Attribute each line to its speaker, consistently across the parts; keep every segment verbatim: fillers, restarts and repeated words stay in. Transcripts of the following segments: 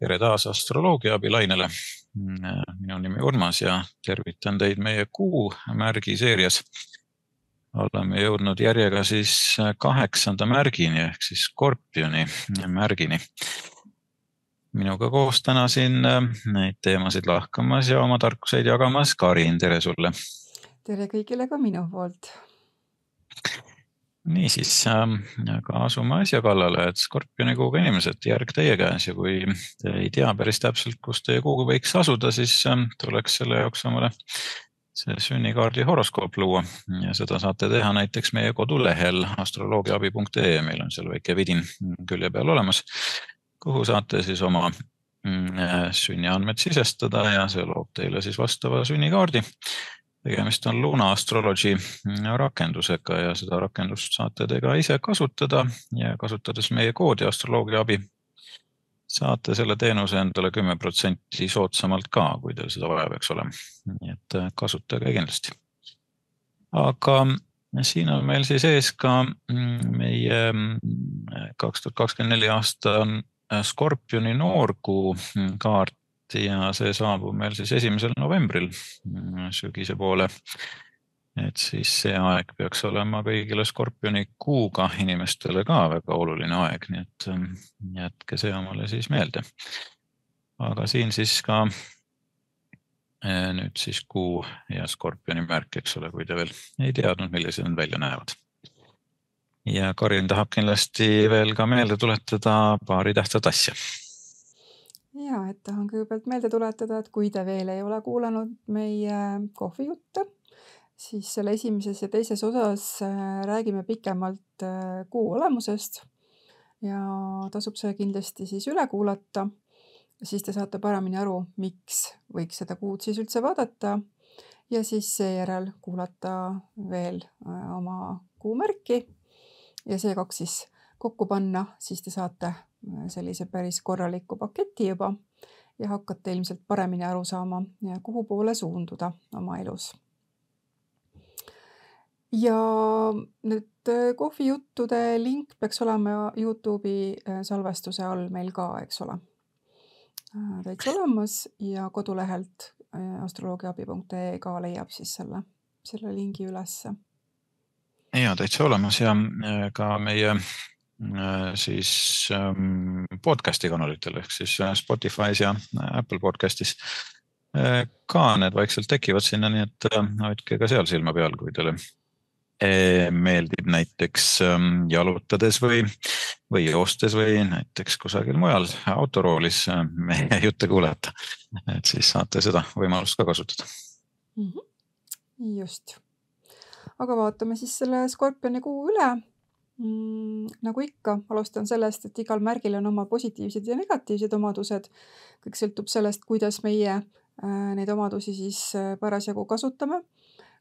Speaker 1: Tere taas astroloogia abilainele. Minu nimi Urmas ja tervitan teid meie kuu märgi seerias. Oleme jõudnud järjega siis kaheksanda märgini ehk siis Skorpioni märgini. Minuga koos täna siin neid teemasid lahkamas ja oma tarkuseid jagamas Karin, tere sulle.
Speaker 2: Tere kõigile ka minu poolt.
Speaker 1: Niisiis, aga asume asja kallale, et Skorpioni kuuga inimesed, järg teie käes ja kui te ei tea päris täpselt, kus teie kuuga võiks asuda, siis tuleks selle jaoks omale see sünnikaardi horoskoop luua ja seda saate teha näiteks meie kodulehel astroloogiaabi punkt ee, meil on seal väike vidin külje peal olemas, kuhu saate siis oma sünniandmed sisestada ja see loob teile siis vastava sünnikaardi. Tegemist on Luna Astrology rakendusega ja seda rakendust saate te ka ise kasutada ja kasutades meie koodi astroloogia abi saate selle teenuse endale kümme protsenti soodsamalt ka, kui teil seda vaja peaks olema. Nii et kasutage kindlasti. Aga siin on meil siis ees ka meie kaks tuhat kakskümmend neli aasta Skorpioni noorkuu kaart ja see saabub meil siis esimesel novembril sügise poole. Et siis see aeg peaks olema kõigile Skorpioni kuuga inimestele ka väga oluline aeg, nii et jätke see omale siis meelde. Aga siin siis ka nüüd siis kuu ja Skorpioni märk, eks ole, kui te veel ei teadnud, millised nad välja näevad. Ja Karin tahab kindlasti veel ka meelde tuletada paari tähtsat asja.
Speaker 2: Ja, et tahan kõigepealt meelde tuletada, et kui te veel ei ole kuulanud meie kohvijutte, siis selle esimeses ja teises osas räägime pikemalt kuu olemusest ja tasub see kindlasti siis üle kuulata. Siis te saate paremini aru, miks võiks seda kuud siis üldse vaadata ja siis seejärel kuulata veel oma kuumärki ja see kaks siis kokku panna, siis te saate sellise päris korraliku paketi juba ja hakkate ilmselt paremini aru saama, kuhu poole suunduda oma elus. Ja nüüd kohvijuttude link peaks olema YouTube'i salvestuse all meil ka, eks ole. Täitsa olemas ja kodulehelt astroloogiaabi punkt ee ka leiab siis selle, selle lingi ülesse.
Speaker 1: Ja, täitsa olemas ja ka meie siis podcasti kanalitel ehk siis Spotify's ja Apple podcastis ka need vaikselt tekivad sinna, nii et hoidke ka seal silma peal, kui teile meeldib näiteks jalutades või, või joostes või näiteks kusagil mujal autoroolis meie jutte kuulata, et siis saate seda võimalust ka kasutada.
Speaker 2: Mm-hmm. Just. Aga vaatame siis selle Skorpioni kuu üle. Mm, nagu ikka, alustan sellest, et igal märgil on oma positiivsed ja negatiivsed omadused. Kõik sõltub sellest, kuidas meie äh, neid omadusi siis äh, parasjagu kasutame.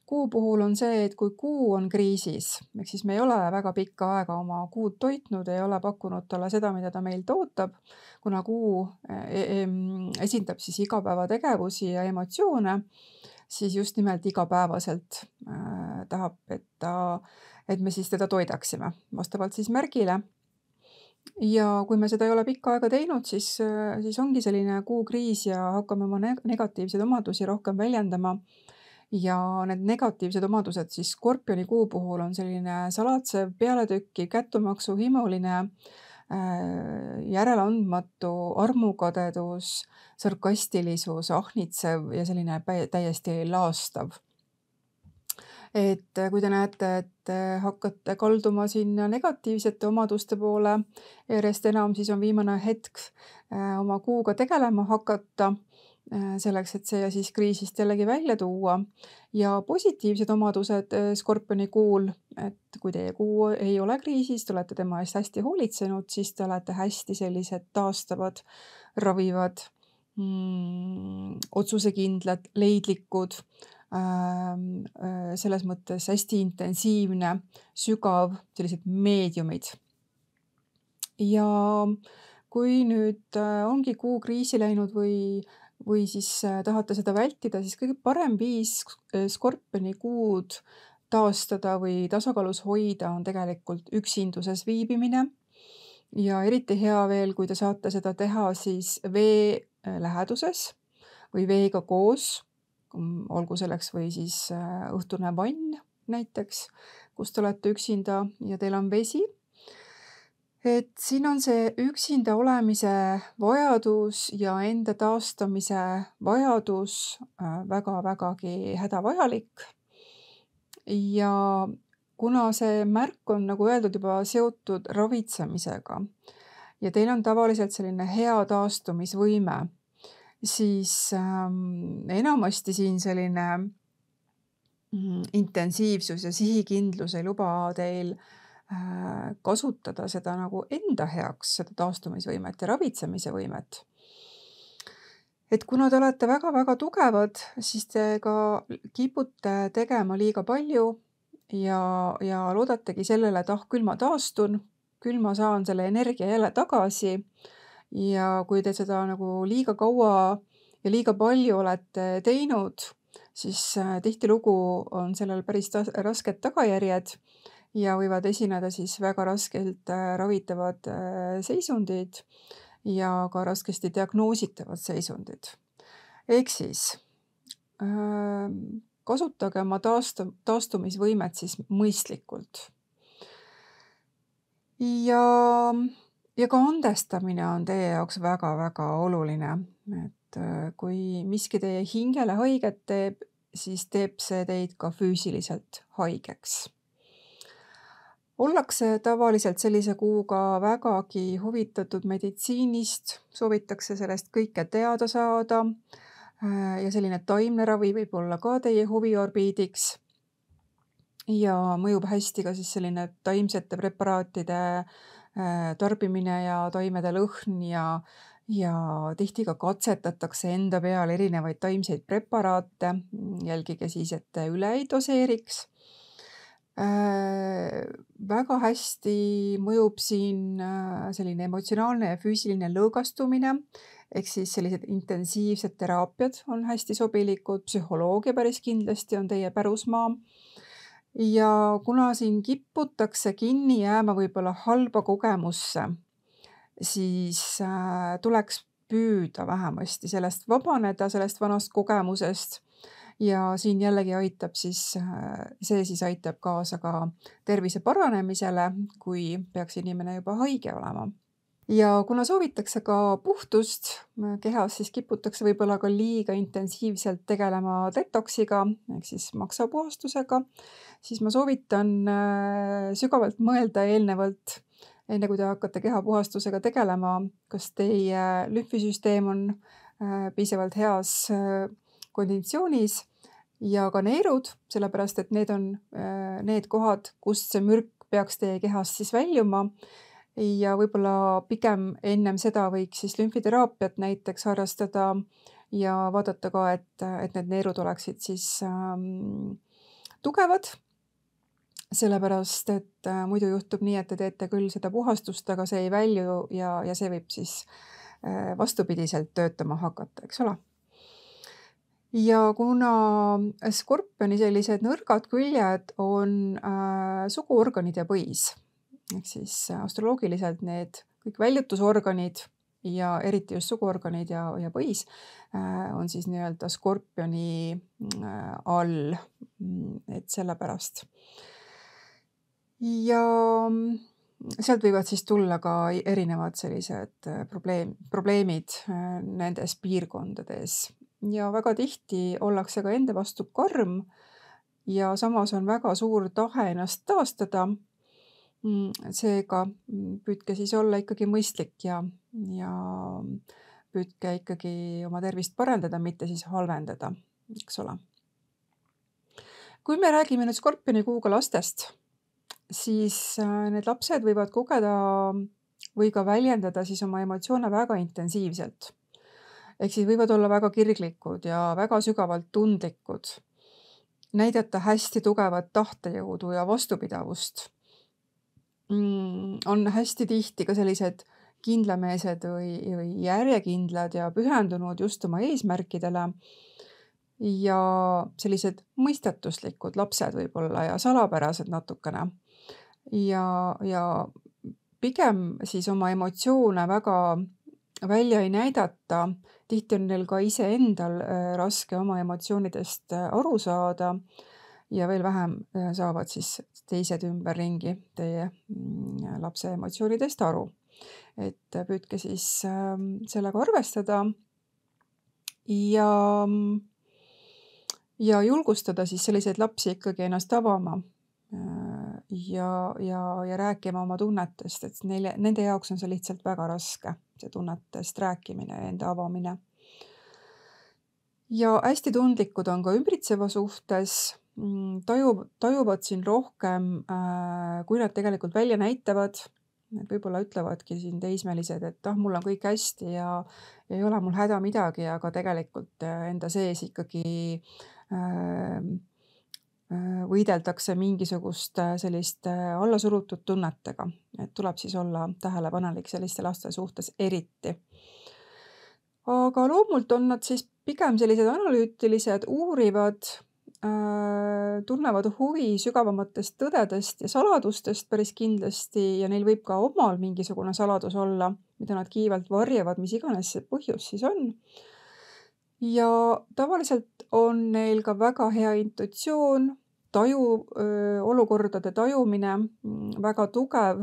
Speaker 2: Kuu puhul on see, et kui kuu on kriisis, ehk siis me ei ole väga pikka aega oma kuud toitnud, ei ole pakkunud talle seda, mida ta meilt ootab, kuna kuu äh, esindab siis igapäevategevusi ja emotsioone, siis just nimelt igapäevaselt äh, tahab, et ta et me siis teda toidaksime vastavalt siis märgile. Ja kui me seda ei ole pikka aega teinud, siis, siis ongi selline kuukriis ja hakkame oma negatiivseid omadusi rohkem väljendama. Ja need negatiivsed omadused siis Skorpioni kuu puhul on selline salatsev, pealetükki, kättumaksu, himuline, järeleandmatu, armukadedus, sarkastilisus, ahnitsev ja selline täiesti laastav. Et kui te näete, et hakkate kalduma sinna negatiivsete omaduste poole, järjest enam siis on viimane hetk oma kuuga tegelema hakata, selleks, et see siis kriisist jällegi välja tuua. Ja positiivsed omadused Skorpioni kuul, et kui teie kuu ei ole kriisis, te olete tema eest hästi hoolitsenud, siis te olete hästi sellised taastavad, ravivad, mm, otsusekindlad, leidlikud, selles mõttes hästi intensiivne, sügav, sellised meediumid. Ja kui nüüd ongi kuu kriisi läinud või, või siis tahate seda vältida, siis kõige parem viis Skorpioni kuud taastada või tasakaalus hoida on tegelikult üksinduses viibimine. ja eriti hea veel, kui te saate seda teha siis vee äh, läheduses või veega koos, mm, olgu selleks või siis äh, õhtune vann näiteks, kus te olete üksinda ja teil on vesi. Et siin on see üksinda olemise vajadus ja enda taastamise vajadus äh, väga-vägagi hädavajalik. Ja kuna see märk on, nagu öeldud, juba seotud ravitsemisega ja teil on tavaliselt selline hea taastumisvõime, siis ähm, enamasti siin selline mm, intensiivsus ja sihikindlus ei luba teil äh, kasutada seda nagu enda heaks, seda taastumisvõimet ja ravitsemise võimet. Et kuna te olete väga-väga tugevad, siis te ka kipute tegema liiga palju ja, ja loodategi sellele, et ah, küll ma taastun, küll ma saan selle energia jälle tagasi. Ja kui te seda nagu liiga kaua ja liiga palju olete teinud, siis äh, tihtilugu on sellel päris tas- rasked tagajärjed ja võivad esineda siis väga raskelt äh, ravitavad äh, seisundid ja ka raskesti diagnoositavad seisundid. Ehk siis äh, kasutage oma taastu- taastumisvõimet siis mõistlikult. Ja, ja ka andestamine on teie jaoks väga-väga oluline. Et äh, kui miski teie hingele haiget teeb, siis teeb see teid ka füüsiliselt haigeks. Ollakse tavaliselt sellise kuuga vägagi huvitatud meditsiinist, soovitakse sellest kõike teada saada äh, ja selline taimne ravi võib olla ka teie huviorbiidiks. Ja mõjub hästi ka siis selline taimsete preparaatide äh, tarbimine ja taimede lõhn ja, ja tihti ka katsetatakse enda peal erinevaid taimseid preparaate. Jälgige siis, et te üle ei doseeriks. Äh, väga hästi mõjub siin äh, selline emotsionaalne ja füüsiline lõõgastumine, ehk siis sellised intensiivsed teraapiad on hästi sobilikud, psühholoogia päris kindlasti on teie pärusmaa. Ja kuna siin kiputakse kinni jääma võib-olla halba kogemusse, siis äh, tuleks püüda vähemasti sellest vabaneda, sellest vanast kogemusest. Ja siin jällegi aitab siis, äh, see siis aitab kaasa ka tervise paranemisele, kui peaks inimene juba haige olema. Ja kuna soovitakse ka puhtust äh, kehas, siis kiputakse võib-olla ka liiga intensiivselt tegelema detoksiga, ehk siis maksapuhastusega, siis ma soovitan äh, sügavalt mõelda eelnevalt, enne kui te hakkate kehapuhastusega tegelema, kas teie lümfisüsteem on äh, piisavalt heas äh, konditsioonis ja ka neerud, sellepärast et need on äh, need kohad, kust see mürk peaks teie kehast siis väljuma. Ja võib-olla pigem ennem seda võiks siis lümfiteraapiat näiteks harrastada ja vaadata ka, et, et need neerud oleksid siis ähm, tugevad. Sellepärast, et äh, muidu juhtub nii, et te teete küll seda puhastust, aga see ei välju ja, ja see võib siis äh, vastupidiselt töötama hakata, eks ole. Ja kuna skorpioni sellised nõrgad küljed on äh, suguorganid ja põis, ehk siis astroloogiliselt need kõik väljutusorganid ja eriti just suguorganid ja, ja põis äh, on siis nii-öelda skorpioni äh, all, et sellepärast. Ja sealt võivad siis tulla ka erinevad sellised probleem, probleemid äh, nendes piirkondades. Ja väga tihti ollakse ka enda vastu karm ja samas on väga suur tahe ennast taastada. Seega püüdke siis olla ikkagi mõistlik ja, ja püüdke ikkagi oma tervist parandada, mitte siis halvendada, eks ole. Kui me räägime nüüd skorpioni kuuga lastest, siis need lapsed võivad kogeda või ka väljendada siis oma emotsioone väga intensiivselt. Ehk siis võivad olla väga kirglikud ja väga sügavalt tundlikud, näidata hästi tugevat tahtejõudu ja vastupidavust. Mm, on hästi tihti ka sellised kindlameelsed või, või järjekindlad ja pühendunud just oma eesmärkidele ja sellised mõistatuslikud lapsed võib-olla ja salapärased natukene. Ja, ja pigem siis oma emotsioone väga välja ei näidata. Tihti on neil ka iseendal äh, raske oma emotsioonidest äh, aru saada ja veel vähem äh, saavad siis teised ümberringi teie mm, lapse emotsioonidest aru. Et äh, püüdke siis äh, sellega arvestada ja, ja julgustada siis selliseid lapsi ikkagi ennast avama äh, ja, ja, ja rääkima oma tunnetest, et neile, nende jaoks on see lihtsalt väga raske, see tunnetest rääkimine ja enda avamine. Ja hästi tundlikud on ka ümbritseva suhtes, mm, taju, tajuvad siin rohkem, äh, kui nad tegelikult välja näitavad. Et võib-olla ütlevadki siin teismelised, et ah, mul on kõik hästi ja, ja ei ole mul häda midagi, aga tegelikult äh, enda sees ikkagi äh, äh, võideldakse mingisugust äh, sellist äh, allasurutud tunnetega. Et tuleb siis olla tähelepanelik selliste laste suhtes eriti. Aga loomult on nad siis pigem sellised analüütilised, uurivad, äh, tunnevad huvi sügavamatest tõdedest ja saladustest päris kindlasti ja neil võib ka omal mingisugune saladus olla, mida nad kiivalt varjavad, mis iganes see põhjus siis on. Ja tavaliselt on neil ka väga hea intuitsioon, taju, öö, olukordade tajumine, mm, väga tugev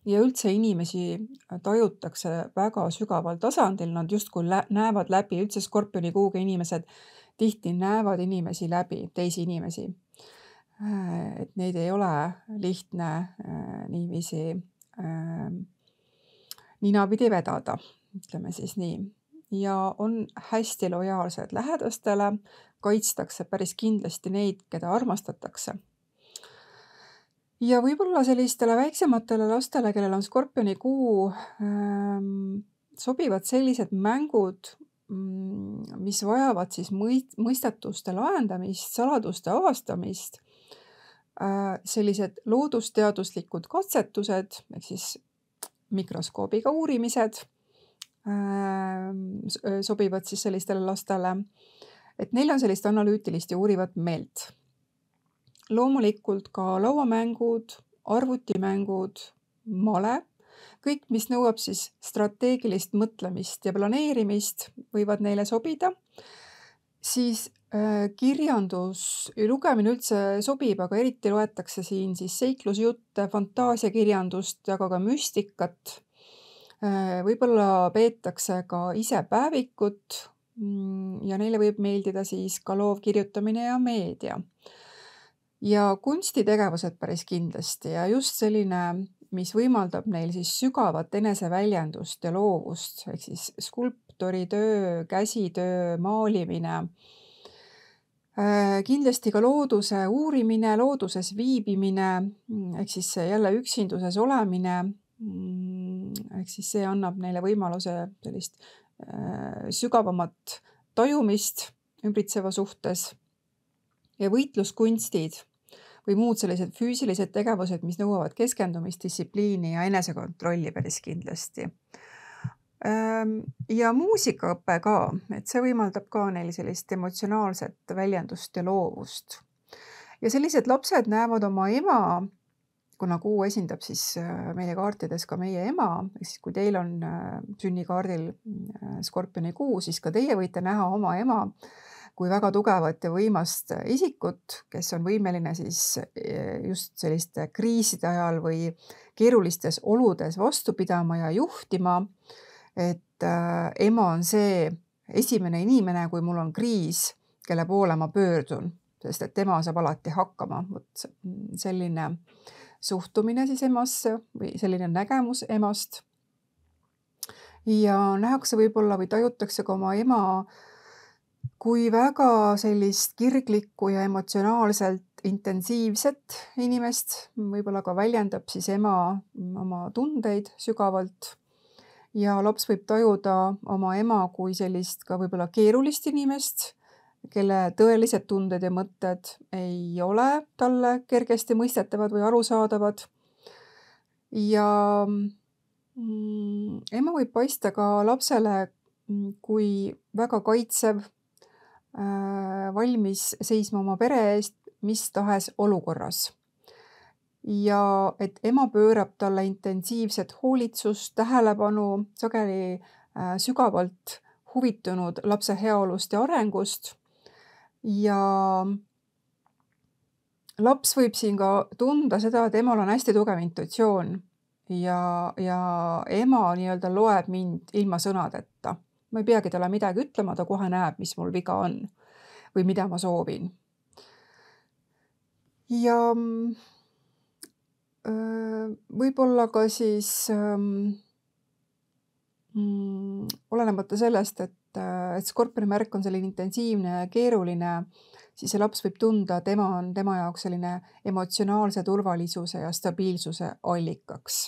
Speaker 2: ja üldse inimesi tajutakse väga sügaval tasandil, nad justkui lä- näevad läbi, üldse skorpioni kuuga inimesed tihti näevad inimesi läbi, teisi inimesi. Äh, Et neid ei ole lihtne äh, niiviisi äh, ninapidi vedada, ütleme siis nii. Ja on hästi lojaalsed lähedastele, kaitstakse päris kindlasti neid, keda armastatakse. Ja võib-olla sellistele väiksematele lastele, kellel on skorpioni kuu, ähm, sobivad sellised mängud, mm, mis vajavad siis mõist- mõistatuste lahendamist, saladuste avastamist, äh, sellised loodusteaduslikud katsetused, ehk siis mikroskoobiga uurimised ähm, s- öö, sobivad siis sellistele lastele, et neil on sellist analüütilist ja uurivat meelt. Loomulikult ka lauamängud, arvutimängud, male, kõik, mis nõuab siis strateegilist mõtlemist ja planeerimist, võivad neile sobida. Siis äh, kirjandus ja lugemine üldse sobib, aga eriti loetakse siin siis seiklusjutte, fantaasiakirjandust, aga ka müstikat. Äh, Võib-olla peetakse ka ise päevikut mm, ja neile võib meeldida siis ka loovkirjutamine ja meedia. Ja kunstitegevused päris kindlasti ja just selline, mis võimaldab neil siis sügavat eneseväljendust ja loovust, ehk siis skulptoritöö, käsitöö, maalimine. Äh, Kindlasti ka looduse uurimine, looduses viibimine, mm, ehk siis see jälle üksinduses olemine, mm, ehk siis see annab neile võimaluse sellist äh, sügavamat tajumist ümbritseva suhtes. Ja võitluskunstid või muud sellised füüsilised tegevused, mis nõuavad keskendumist, distsipliini ja enesekontrolli päris kindlasti. Ähm, Ja muusikaõpe ka, et see võimaldab ka neil sellist emotsionaalset väljendust ja loovust. Ja sellised lapsed näevad oma ema, kuna kuu esindab siis äh, meie kaartides ka meie ema, ehk siis kui teil on äh, sünnikaardil äh, skorpioni kuu, siis ka teie võite näha oma ema kui väga tugevat ja võimast isikut, kes on võimeline siis eh, just selliste kriiside ajal või keerulistes oludes vastu pidama ja juhtima. Et äh, ema on see esimene inimene, kui mul on kriis, kelle poole ma pöördun, sest et tema saab alati hakkama. Vot selline suhtumine siis emasse või selline nägemus emast. Ja nähakse võib-olla või tajutakse ka oma ema kui väga sellist kirglikku ja emotsionaalselt intensiivset inimest, võib-olla ka väljendab siis ema oma tundeid sügavalt. Ja laps võib tajuda oma ema kui sellist ka võib-olla keerulist inimest, kelle tõelised tunded ja mõtted ei ole talle kergesti mõistetavad või arusaadavad. Ja mm, ema võib paista ka lapsele mm, kui väga kaitsev, äh, valmis seisma oma pere eest mis tahes olukorras. ja et ema pöörab talle intensiivset hoolitsust, tähelepanu, sageli äh, sügavalt huvitunud lapse heaolust ja arengust ja laps võib siin ka tunda seda, et emal on hästi tugev intuitsioon ja, ja ema nii-öelda loeb mind ilma sõnadeta. Ma ei peagi talle midagi ütlema, ta kohe näeb, mis mul viga on või mida ma soovin. Ja öö, võib-olla ka siis öö, mm, olenemata sellest, et, et skorpioni märk on selline intensiivne ja keeruline, siis see laps võib tunda, et ema on tema jaoks selline emotsionaalse turvalisuse ja stabiilsuse allikaks.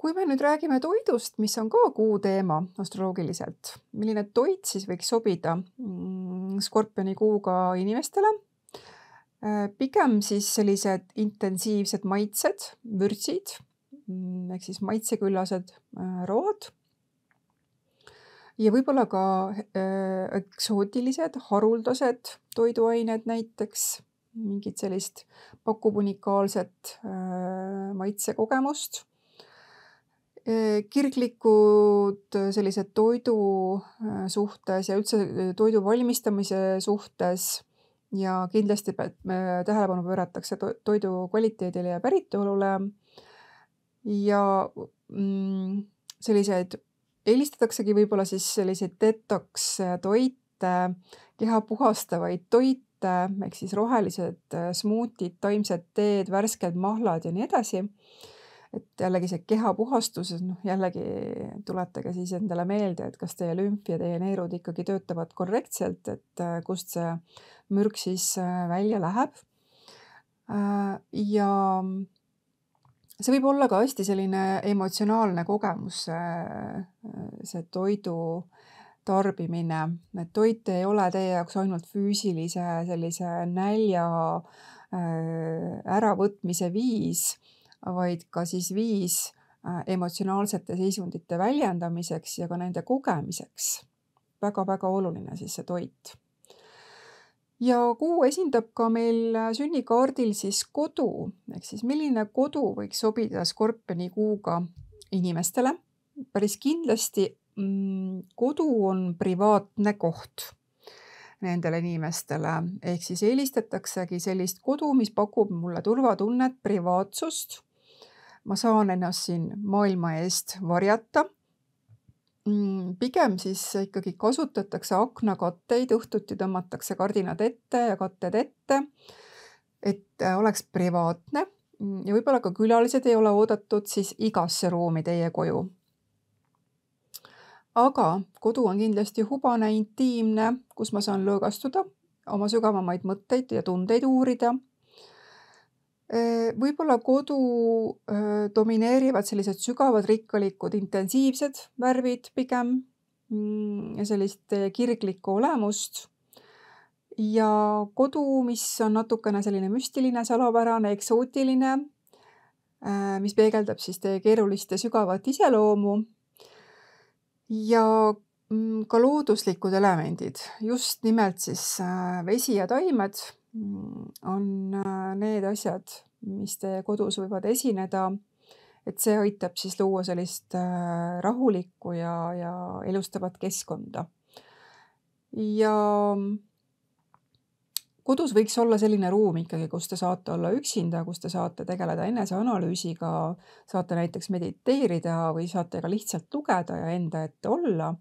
Speaker 2: Kui me nüüd räägime toidust, mis on ka kuu teema astroloogiliselt, milline toit siis võiks sobida skorpioni kuuga inimestele? Pigem siis sellised intensiivsed maitsed, vürtsid, ehk siis maitseküllased road ja võib-olla ka eksootilised, haruldased toiduained näiteks, mingid sellist pakub unikaalset maitsekogemust. Kirglikud sellised toidu suhtes ja üldse toidu valmistamise suhtes ja kindlasti tähelepanu pööratakse toidu kvaliteedile ja päritolule ja mm, selliseid eelistataksegi võib-olla siis selliseid detox toite, keha puhastavaid toite, ehk siis rohelised smuutid, taimsed teed, värsked mahlad ja nii edasi. Et jällegi see keha puhastus, noh jällegi tuletage siis endale meelde, et kas teie lümf ja teie neerud ikkagi töötavad korrektselt, et kust see mürk siis välja läheb. Ja see võib olla ka hästi selline emotsionaalne kogemus, see toidu tarbimine, et toit ei ole teie jaoks ainult füüsilise sellise nälja äravõtmise viis, vaid ka siis viis emotsionaalsete seisundite väljendamiseks ja ka nende kogemiseks. Väga-väga oluline siis see toit. Ja kuu esindab ka meil sünnikaardil siis kodu, ehk siis milline kodu võiks sobida skorpioni kuuga inimestele. Päris kindlasti mm, kodu on privaatne koht nendele inimestele, ehk siis eelistataksegi sellist kodu, mis pakub mulle turvatunnet, privaatsust. Ma saan ennast siin maailma eest varjata. Pigem siis ikkagi kasutatakse aknakatteid, õhtuti tõmmatakse kardinad ette ja katted ette, et oleks privaatne ja võib-olla ka külalised ei ole oodatud siis igasse ruumi teie koju. Aga kodu on kindlasti hubane, intiimne, kus ma saan lõõgastuda, oma sügavamaid mõtteid ja tundeid uurida. Võib-olla kodu domineerivad sellised sügavad, rikkalikud, intensiivsed värvid pigem ja sellist kirglikku olemust. Ja kodu, mis on natukene selline müstiline, salapärane, eksootiline, mis peegeldab siis teie keerulist ja sügavat iseloomu. Ja ka looduslikud elemendid, just nimelt siis vesi ja taimed on need asjad, mis teie kodus võivad esineda, et see aitab siis luua sellist rahulikku ja, ja elustavat keskkonda. Ja kodus võiks olla selline ruum ikkagi, kus te saate olla üksinda, kus te saate tegeleda eneseanalüüsiga, saate näiteks mediteerida või saate ka lihtsalt lugeda ja enda ette olla.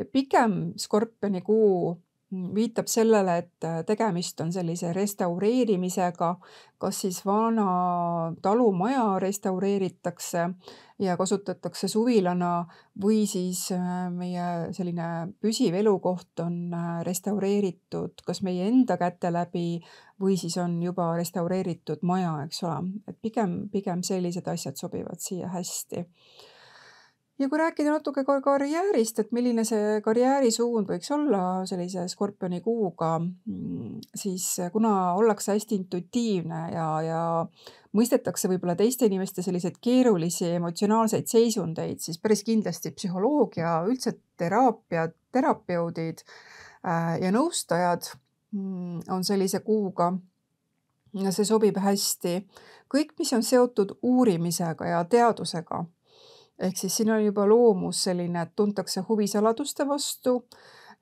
Speaker 2: Ja pigem skorpioni kuu viitab sellele, et tegemist on sellise restaureerimisega, kas siis vana talumaja restaureeritakse ja kasutatakse suvilana või siis meie selline püsiv elukoht on restaureeritud kas meie enda käte läbi või siis on juba restaureeritud maja, eks ole. Et pigem, pigem sellised asjad sobivad siia hästi. Ja kui rääkida natuke ka karjäärist, et milline see karjäärisuund võiks olla sellise skorpioni kuuga, siis kuna ollakse hästi intuitiivne ja, ja mõistetakse võib-olla teiste inimeste selliseid keerulisi emotsionaalseid seisundeid, siis päris kindlasti psühholoogia, üldse teraapia, terapeudid ja nõustajad on sellise kuuga ja see sobib hästi. Kõik, mis on seotud uurimisega ja teadusega, ehk siis siin on juba loomus selline, et tuntakse huvi saladuste vastu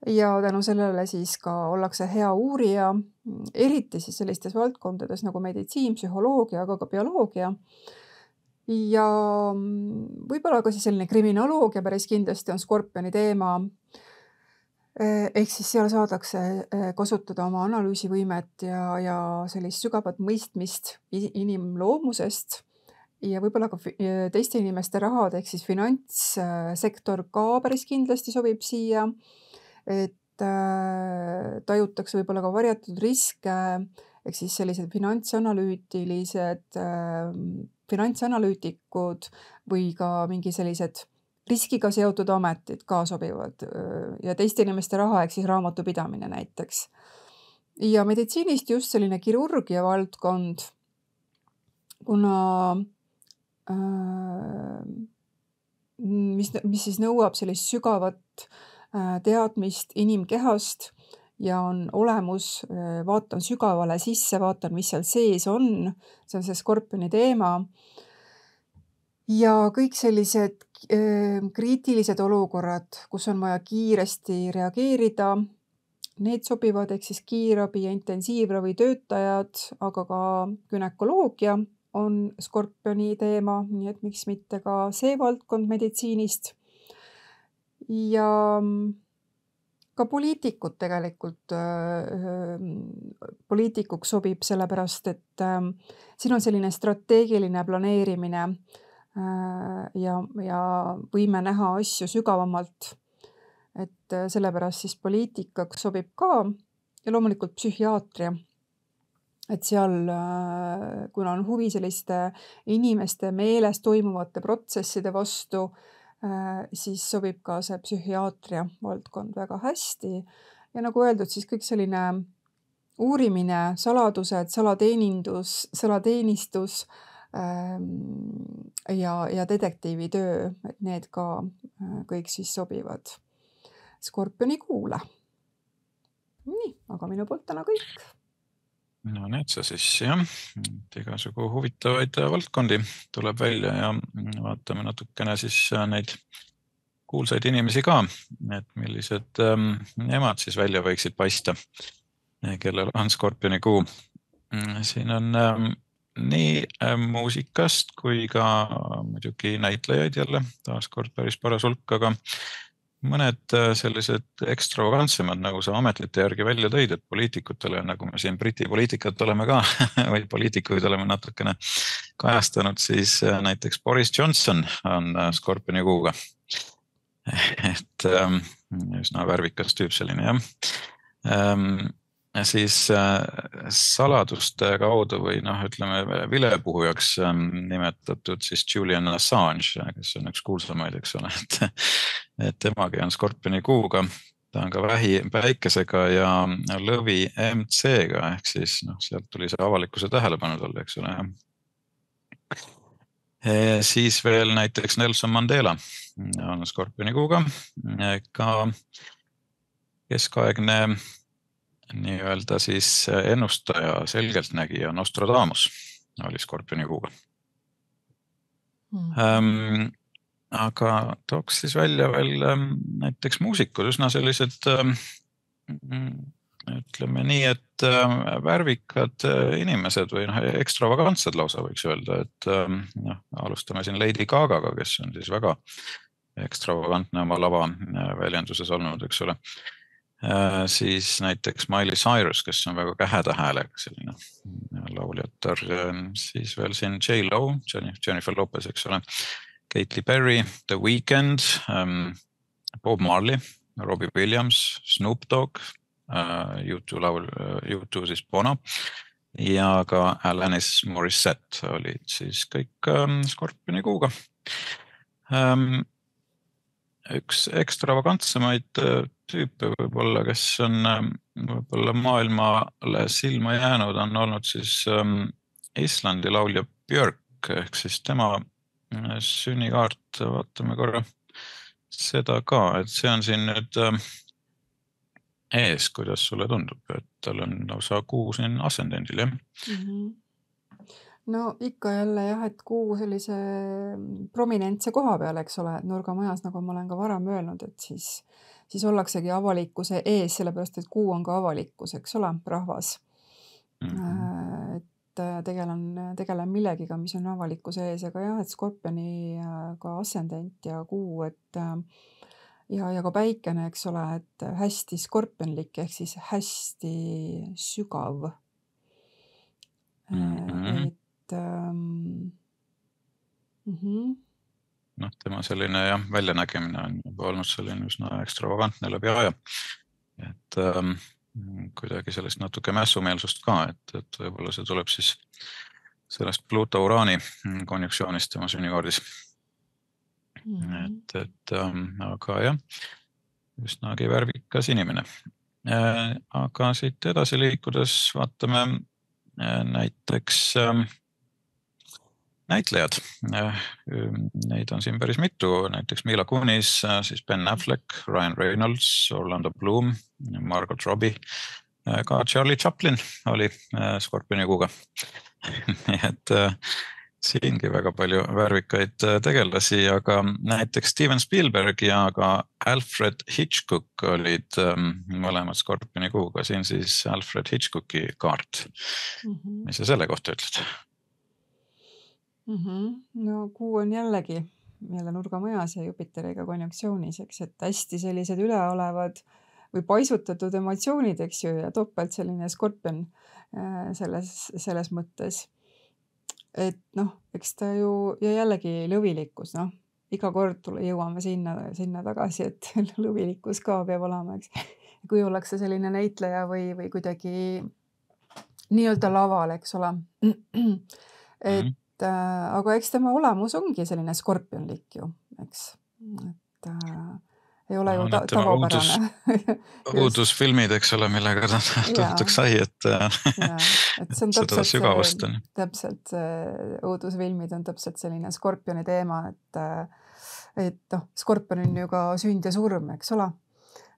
Speaker 2: ja tänu sellele siis ka ollakse hea uurija, eriti siis sellistes valdkondades nagu meditsiin, psühholoogia, aga ka bioloogia. Ja võib-olla ka siis selline kriminoloogia päris kindlasti on Skorpioni teema. Ehk siis seal saadakse kasutada oma analüüsivõimet ja, ja sellist sügavat mõistmist inimloomusest ja võib-olla ka teiste inimeste rahad, ehk siis finantssektor ka päris kindlasti sobib siia, et tajutakse võib-olla ka varjatud riske, ehk siis sellised finantsanalüütilised, finantsanalüütikud või ka mingi sellised riskiga seotud ametid ka sobivad ja teiste inimeste raha, ehk siis raamatupidamine näiteks. Ja meditsiinist just selline kirurgia valdkond, kuna äh, mis, mis siis nõuab sellist sügavat äh, teadmist inimkehast ja on olemus, vaatan sügavale sisse, vaatan, mis seal sees on, see on see Skorpioni teema. Ja kõik sellised kriitilised olukorrad, kus on vaja kiiresti reageerida, need sobivad, ehk siis kiirabi ja intensiivravi töötajad, aga ka günekoloogia on Skorpioni teema, nii et miks mitte ka see valdkond meditsiinist. Ja ka poliitikud tegelikult, poliitikuks sobib sellepärast, et siin on selline strateegiline planeerimine ja, ja võime näha asju sügavamalt, et sellepärast siis poliitikaks sobib ka ja loomulikult psühhiaatria, et seal, kuna on huvi selliste inimeste meeles toimuvate protsesside vastu, siis sobib ka see psühhiaatria valdkond väga hästi ja nagu öeldud, siis kõik selline uurimine, saladused, salateenindus, salateenistus ja, ja detektiivitöö, et need ka kõik siis sobivad Skorpioni kuule. Nii, aga minu poolt täna kõik.
Speaker 1: No need sa siis jah, igasugu huvitavaid valdkondi tuleb välja ja vaatame natukene siis neid kuulsaid inimesi ka, et millised nemad siis välja võiksid paista, kellel on Skorpioni kuu. Siin on nii muusikast kui ka muidugi näitlejaid jälle, taaskord päris paras hulk, aga mõned sellised ekstravagantsemad, nagu sa ametlite järgi välja tõid, et poliitikutele, nagu me siin Briti poliitikat oleme ka, või poliitikuid oleme natukene kajastanud, siis näiteks Boris Johnson on Skorpioni kuuga. Et üsna värvikas tüüp selline, jah. Siis saladuste kaudu või noh, ütleme vilepuhujaks nimetatud siis Julian Assange, kes on üks kuulsamaid, eks ole, et, et temagi on Skorpioni kuuga, ta on ka vähi päikesega ja lõvi M C-ga, ehk siis noh, sealt tuli see avalikkuse tähelepanu talle, eks ole. Ja siis veel näiteks Nelson Mandela on Skorpioni kuuga, ka keskaegne nii-öelda siis ennustaja, selgeltnägija Nostradamus oli Skorpioni kuuga. Mm. Ähm, aga tooks siis välja veel näiteks muusikud, üsna sellised, ütleme nii, et värvikad inimesed või noh, ekstravagantsed lausa võiks öelda, et noh, alustame siin Lady Gagaga, kes on siis väga ekstravagantne oma lava väljenduses olnud, eks ole. Siis näiteks Miley Cyrus, kes on väga käheda häälega selline lauljatar, siis veel siin J Lo, Jennifer Lopez, eks ole, Katy Perry, The Weeknd, Bob Marley, Robbie Williams, Snoop Dogg, U two laul, U two siis Bono ja ka Alanis Morissette olid siis kõik Skorpioni kuuga. Üks ekstravagantsemaid tüüpe võib-olla, kes on võib-olla maailmale silma jäänud, on olnud siis Islandi laulja Björk, ehk siis tema sünnikaart, vaatame korra seda ka, et see on siin nüüd ees, kuidas sulle tundub, et tal on lausa kuu siin ascendendil, jah.
Speaker 2: Mhm. No ikka jälle jah, et kuu sellise prominentse koha peal, eks ole, et nurgamajas, nagu ma olen ka varem öelnud, et siis, siis ollaksegi avalikkuse ees, sellepärast et kuu on ka avalikkus, eks ole, rahvas.
Speaker 1: Mhm.
Speaker 2: Et tegelen, tegelen millegiga, mis on avalikkuse ees, aga jah, et Skorpioni ka ascendent ja kuu, et ja, ja ka päikene, eks ole, et hästi skorpionlik ehk siis hästi sügav.
Speaker 1: Mhm.
Speaker 2: Et ähm, mhm.
Speaker 1: noh, tema selline jah, väljanägemine on juba olnud selline üsna ekstravagantne läbi aja. Et ähm, kuidagi sellist natuke mässumeelsust ka, et, et võib-olla see tuleb siis sellest Pluto-Uraani konjuktsioonist tema sünnikaardis.
Speaker 2: Mhm.
Speaker 1: Et, et ähm, aga jah, üsnagi värvikas inimene. Äh, aga siit edasi liikudes vaatame äh, näiteks ähm, näitlejad. Neid on siin päris mitu, näiteks Mila Kunis, siis Ben Affleck, Ryan Reynolds, Orlando Bloom, Margot Robbie, ka Charlie Chaplin oli Skorpioni kuuga. Nii et siingi väga palju värvikaid tegelasi, aga näiteks Steven Spielberg ja ka Alfred Hitchcock olid mõlemad Skorpioni kuuga. Siin siis Alfred Hitchcocki kaart.
Speaker 2: Mhm.
Speaker 1: Mis sa selle kohta ütled?
Speaker 2: Mhm. No kuu on jällegi jälle nurgamajas ja Jupiteriga konjunktsioonis, eks, et hästi sellised üleolevad või paisutatud emotsioonid, eks ju, ja topelt selline Skorpion selles, selles mõttes. Et noh, eks ta ju, ja jällegi lõvilikkus, noh, iga kord tule, jõuame sinna, sinna tagasi, et lõvilikkus ka peab olema, eks. Kui ollakse selline näitleja või, või kuidagi nii-öelda laval, eks ole. Et Äh, aga eks tema olemus ongi selline skorpionlik ju, eks, et äh, ei ole no, ju ta tavapärane.
Speaker 1: Uudus, uudusfilmid, eks ole, millega ta tuntuks sai, et,
Speaker 2: ja, et see on
Speaker 1: seda sügavust on.
Speaker 2: Täpselt, uudusfilmid on täpselt selline skorpioni teema, et, et noh, skorpion on ju ka sünd ja surm, eks ole.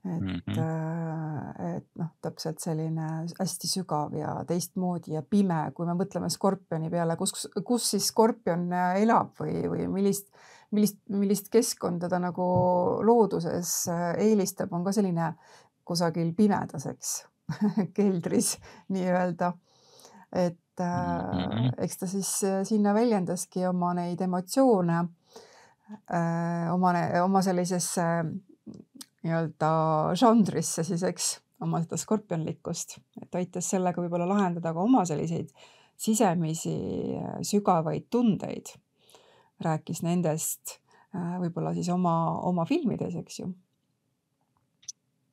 Speaker 2: Et, mm -hmm. et noh, täpselt selline hästi sügav ja teistmoodi ja pime, kui me mõtleme skorpioni peale, kus, kus siis skorpion elab või, või millist, millist, millist keskkonda ta nagu looduses eelistab, on ka selline kusagil pimedaseks keldris nii-öelda. Et mm -hmm. eks ta siis sinna väljendaski oma neid emotsioone, oma, oma sellisesse nii-öelda žanrisse siis, eks, oma seda skorpionlikkust, et aitas sellega võib-olla lahendada ka oma selliseid sisemisi sügavaid tundeid. Rääkis nendest võib-olla siis oma, oma filmides, eks ju.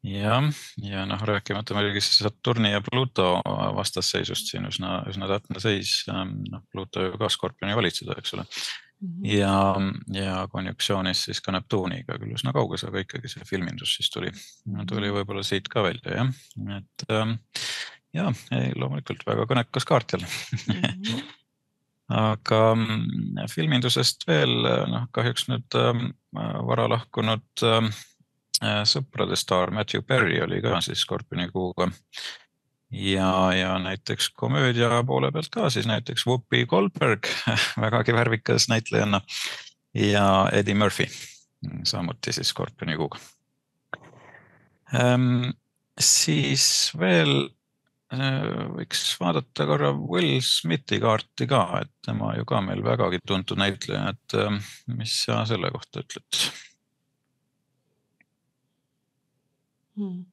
Speaker 1: Ja, ja noh, rääkimata muidugi Saturni ja Pluto vastasseisust siin üsna, üsna täpne seis. No, Pluto ju ka Skorpioni valitseda, eks ole. Mm -hmm. ja, ja konjuktsioonis siis ka Neptuuniga küll üsna kauges, aga ikkagi see filmindus siis tuli, tuli võib-olla siit ka välja, jah. Et ja, ei, loomulikult väga kõnekas kaart jälle. Mm -hmm. aga filmindusest veel, noh, kahjuks nüüd vara lahkunud sõprade staar Matthew Perry oli ka siis Skorpioni kuuga. Ja, ja näiteks komöödia poole pealt ka siis näiteks Whoopi Goldberg, vägagi värvikas näitlejanna, ja Eddie Murphy, samuti siis Skorpioni kuuga. Ähm, siis veel võiks vaadata korra Will Smithi kaarti ka, et tema ju ka meil vägagi tuntud näitleja, et mis sa selle kohta ütled?
Speaker 2: Hmm.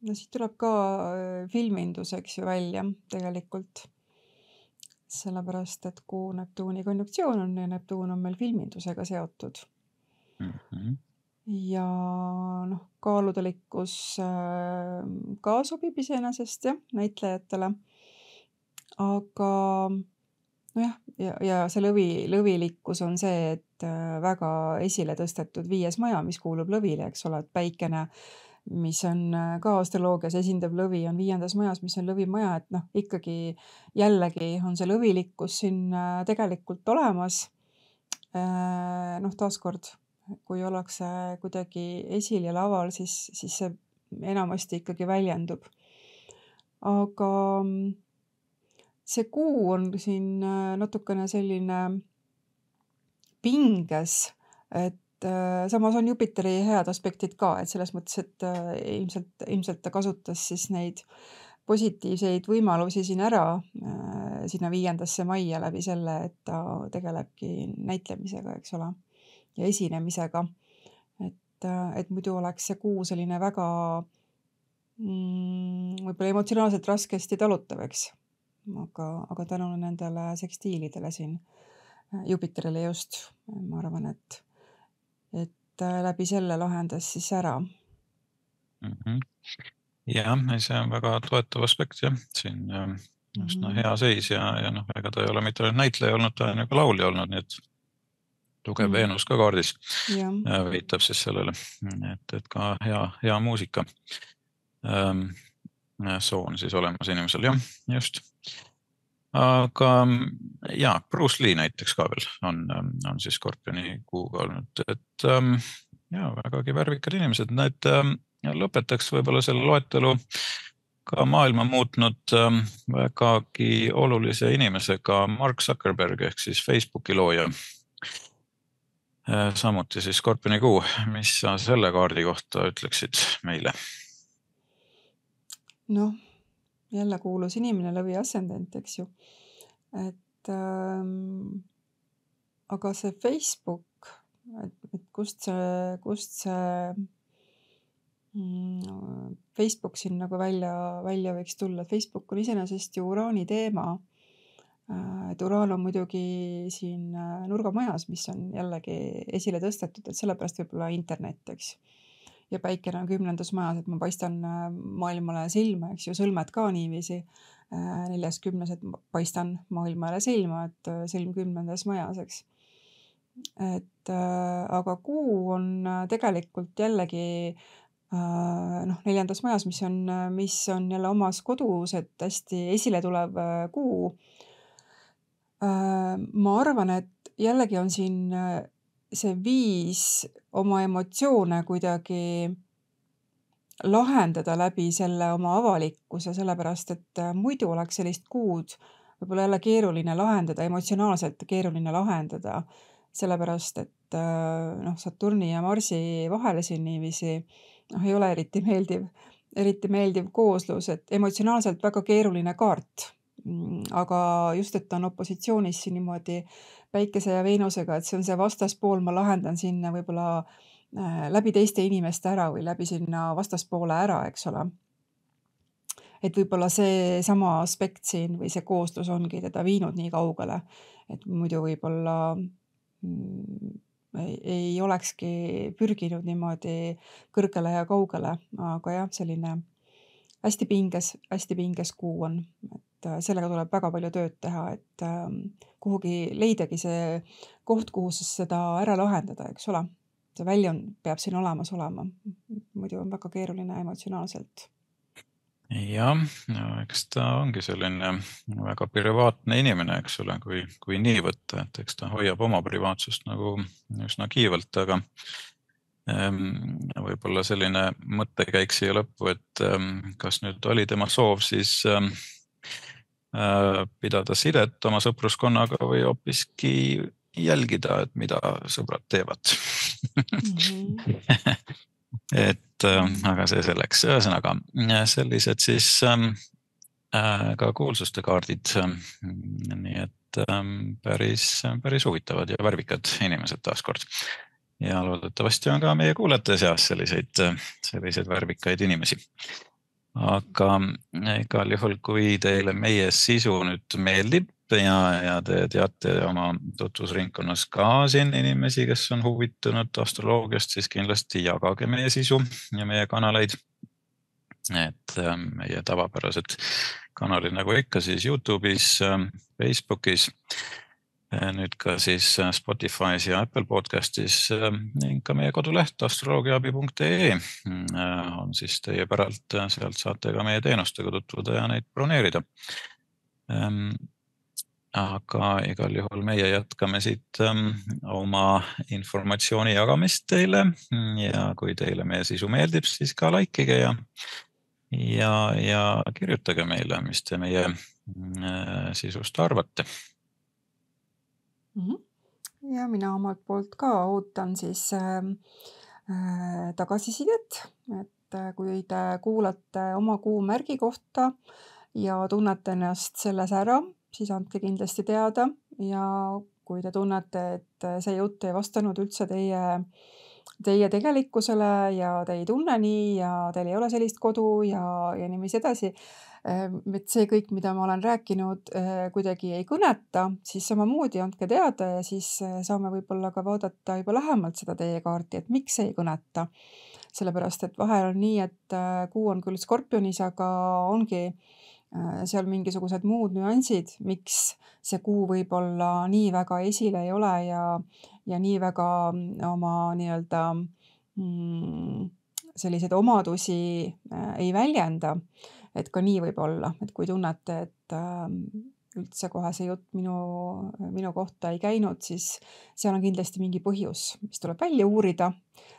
Speaker 2: No siit tuleb ka filmindus, eks ju, välja tegelikult. Sellepärast, et kuu Neptuuni konjunktsioon on ja Neptuun on meil filmindusega seotud. Mm -hmm. Ja noh, kaaludelikkus ka sobib iseenesest jah, näitlejatele. Aga nojah, ja, ja see lõvi, lõvilikkus on see, et väga esile tõstetud viies maja, mis kuulub lõvile, eks ole, et päikene, mis on ka astroloogias esindab lõvi, on viiendas majas, mis on lõvimaja, et noh, ikkagi jällegi on see lõvilikkus siin tegelikult olemas. Noh, taaskord, kui ollakse kuidagi esil ja laval, siis, siis see enamasti ikkagi väljendub. Aga see kuu on siin natukene selline pinges, et samas on Jupiteri head aspektid ka, et selles mõttes, et ilmselt, ilmselt ta kasutas siis neid positiivseid võimalusi siin ära sinna viiendasse maia läbi selle, et ta tegelebki näitlemisega, eks ole, ja esinemisega. Et, et muidu oleks see kuu selline väga mm, võib-olla emotsionaalselt raskesti talutav, eks. Aga, aga tänu nendele sekstiilidele siin Jupiterile just, ma arvan, et, et läbi selle lahendas siis ära.
Speaker 1: Mm-hmm. Jah, see on väga toetav aspekt, jah. Siin just no, hea seis ja, ja noh, ega ta ei ole mitte näitleja olnud, ta on ka laulja olnud, nii et tugev mm. Veenus ka kaardis ja. Viitab siis sellele, et, et ka hea, hea muusika ähm, soon siis olemas inimesel, jah, just. Aga ja, Bruce Lee näiteks ka veel on, on siis Skorpioni kuuga olnud, et ähm, ja, vägagi värvikad inimesed, need ähm, lõpetaks võib-olla selle loetelu ka maailma muutnud ähm, vägagi olulise inimesega Mark Zuckerberg ehk siis Facebooki looja. Äh, samuti siis Skorpioni kuu, mis sa selle kaardi kohta ütleksid meile?
Speaker 2: Noh, jälle kuulus inimene läbi ascendent, eks ju. Et ähm, aga see Facebook, et, et kust see, kust see mm, Facebook siin nagu välja, välja võiks tulla. Facebook on iseenesest ju uraani teema. Et uraan on muidugi siin nurgamajas, mis on jällegi esile tõstetud, et sellepärast võib-olla internet, eks. Ja päikene on kümnendas majas, et ma paistan maailmale silma, eks ju, sõlmed ka niiviisi. Neljas kümnes, et paistan maailmale silma, et silm kümnendas majas, eks. Et aga kuu on tegelikult jällegi noh, neljandas majas, mis on, mis on jälle omas kodus, et hästi esile tulev kuu. Ma arvan, et jällegi on siin see viis oma emotsioone kuidagi lahendada läbi selle oma avalikkuse, sellepärast, et muidu oleks sellist kuud võib-olla jälle keeruline lahendada, emotsionaalselt keeruline lahendada, sellepärast, et noh, Saturni ja Marsi vahele siin niiviisi noh, ei ole eriti meeldiv, eriti meeldiv kooslus, et emotsionaalselt väga keeruline kaart. Aga just, et ta on opositsioonis siin niimoodi Päikese ja Veenusega, et see on see vastaspool, ma lahendan sinna võib-olla läbi teiste inimeste ära või läbi sinna vastaspoole ära, eks ole. Et võib-olla see sama aspekt siin või see kooslus ongi teda viinud nii kaugele, et muidu võib-olla mm, ei, ei olekski pürginud niimoodi kõrgele ja kaugele, aga jah, selline hästi pinges, hästi pinges kuu on, et sellega tuleb väga palju tööd teha, et kuhugi leidagi see koht, kuhu seda ära lahendada, eks ole. See väljund peab siin olemas olema, muidu on väga keeruline emotsionaalselt.
Speaker 1: Jah, no, eks ta ongi selline väga privaatne inimene, eks ole, kui, kui nii võtta, et eks ta hoiab oma privaatsust nagu üsna kiivalt, aga võib-olla selline mõttekäik siia lõppu, et kas nüüd oli tema soov siis pidada sidet oma sõpruskonnaga või hoopiski jälgida, et mida sõbrad teevad. Mm-hmm. et aga see selleks, ühesõnaga sellised siis ka kuulsuste kaardid, nii et päris, päris huvitavad ja värvikad inimesed taaskord. Ja loodetavasti on ka meie kuulajate seas selliseid, selliseid värvikaid inimesi. Aga igal juhul, kui teile meie sisu nüüd meeldib ja, ja te teate oma tutvusringkonnas ka siin inimesi, kes on huvitunud astroloogiast, siis kindlasti jagage meie sisu ja meie kanaleid. Et meie tavapärased kanalid nagu ikka siis YouTube'is, Facebookis, nüüd ka siis Spotify's ja Apple Podcastis ning ka meie koduleht astroloogiaabi punkt ee on siis teie päralt, sealt saate ka meie teenustega tutvuda ja neid broneerida. aga igal juhul meie jätkame siit oma informatsiooni jagamist teile ja kui teile meie sisu meeldib, siis ka likeige ja, ja, ja kirjutage meile, mis te meie sisust arvate.
Speaker 2: Ja mina omalt poolt ka ootan siis äh, tagasisidet, et kui te kuulate oma kuumärgi kohta ja tunnete ennast selles ära, siis andke kindlasti teada ja kui te tunnete, et see jutt ei vastanud üldse teie, teie tegelikkusele ja te ei tunne nii ja teil ei ole sellist kodu ja, ja niiviisi edasi, et see kõik, mida ma olen rääkinud, kuidagi ei kõneta, siis samamoodi andke teada ja siis saame võib-olla ka vaadata juba lähemalt seda teie kaarti, et miks ei kõneta. Sellepärast, et vahel on nii, et kuu on küll Skorpionis, aga ongi seal mingisugused muud nüansid, miks see kuu võib-olla nii väga esile ei ole ja, ja nii väga oma nii-öelda mm, selliseid omadusi ei väljenda. Et ka nii võib olla, et kui tunnete, et üldse kohe see jutt minu, minu kohta ei käinud, siis seal on kindlasti mingi põhjus, mis tuleb välja uurida.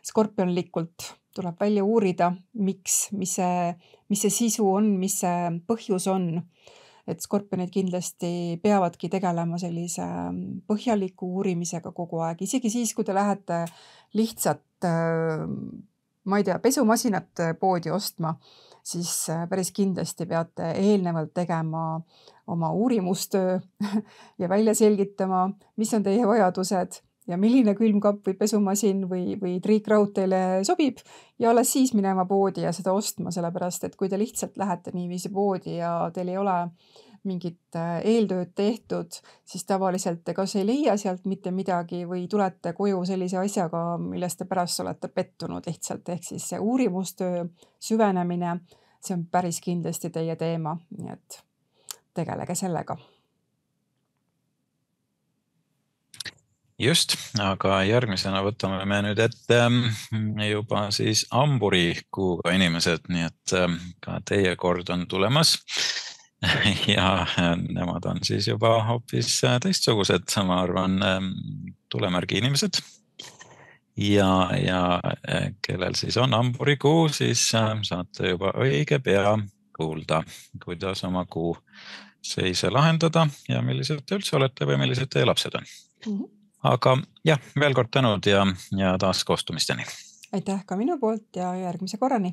Speaker 2: Skorpionlikult tuleb välja uurida, miks, mis see, mis see sisu on, mis see põhjus on. Et skorpionid kindlasti peavadki tegelema sellise põhjaliku uurimisega kogu aeg. Isegi siis, kui te lähete lihtsalt, ma ei tea, pesumasinat poodi ostma, siis päris kindlasti peate eelnevalt tegema oma uurimustöö ja välja selgitama, mis on teie vajadused ja milline külmkapp või pesumasin või, või triikraud teile sobib ja alles siis minema poodi ja seda ostma, sellepärast, et kui te lihtsalt lähete niiviisi poodi ja teil ei ole mingit eeltööd tehtud, siis tavaliselt te kas ei leia sealt mitte midagi või tulete koju sellise asjaga, millest te pärast olete pettunud lihtsalt, ehk siis see uurimustöö, süvenemine, see on päris kindlasti teie teema, nii et tegelege sellega.
Speaker 1: Just, aga järgmisena võtame me nüüd ette juba siis hamburi kuuga inimesed, nii et ka teie kord on tulemas ja nemad on siis juba hoopis teistsugused, ma arvan, tulemärgi inimesed ja, ja kellel siis on hamburi kuu, siis saate juba õige pea kuulda, kuidas oma kuu seise lahendada ja millised te üldse olete või millised teie lapsed on. Mm-hmm. Aga jah, veel kord tänud ja, ja taas kohtumisteni.
Speaker 2: Aitäh ka minu poolt ja järgmise korrani.